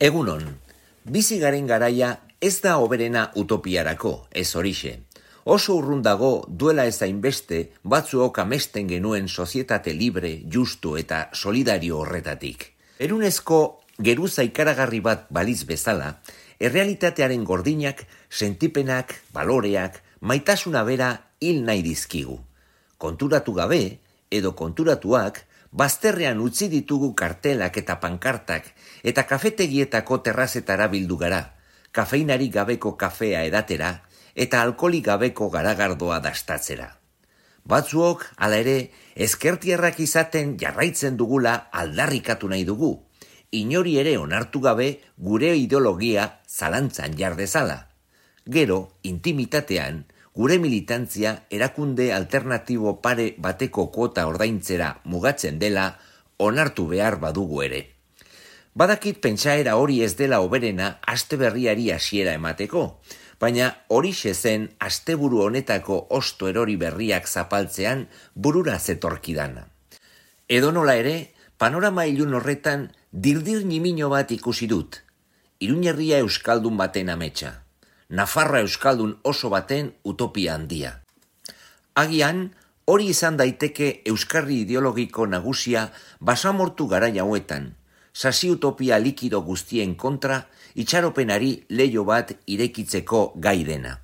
Egunon, bizi garen garaia ez da hoberena utopiarako, ez horixe. Oso urrun dago duela ez hainbeste batzuok amesten genuen sozietate libre, justu eta solidario horretatik. Erunezko geruza ikaragarri bat baliz bezala, errealitatearen gordinak, sentipenak, baloreak, maitasuna bera hil nahi dizkigu. Konturatu gabe, edo konturatuak, bazterrean utzi ditugu kartelak eta pankartak eta kafetegietako terrazetara bildu gara, kafeinarik gabeko kafea edatera eta alkoholik gabeko garagardoa dastatzera. Batzuok, hala ere, ezkertierrak izaten jarraitzen dugula aldarrikatu nahi dugu, inori ere onartu gabe gure ideologia zalantzan jar dezala. Gero, intimitatean, gure militantzia erakunde alternatibo pare bateko kuota ordaintzera mugatzen dela onartu behar badugu ere. Badakit pentsaera hori ez dela hoberena aste berriari hasiera emateko, baina horixe zen asteburu honetako osto erori berriak zapaltzean burura zetorkidana. Edonola ere, panorama ilun horretan dirdir nimino bat ikusi dut. Iruñerria euskaldun baten ametsa. Nafarra euskaldun oso baten utopia handia. Agian, hori izan daiteke euskarri ideologiko nagusia basamortu garai hauetan, sasi utopia likido guztien kontra, itxaropenari leiho bat irekitzeko gai dena.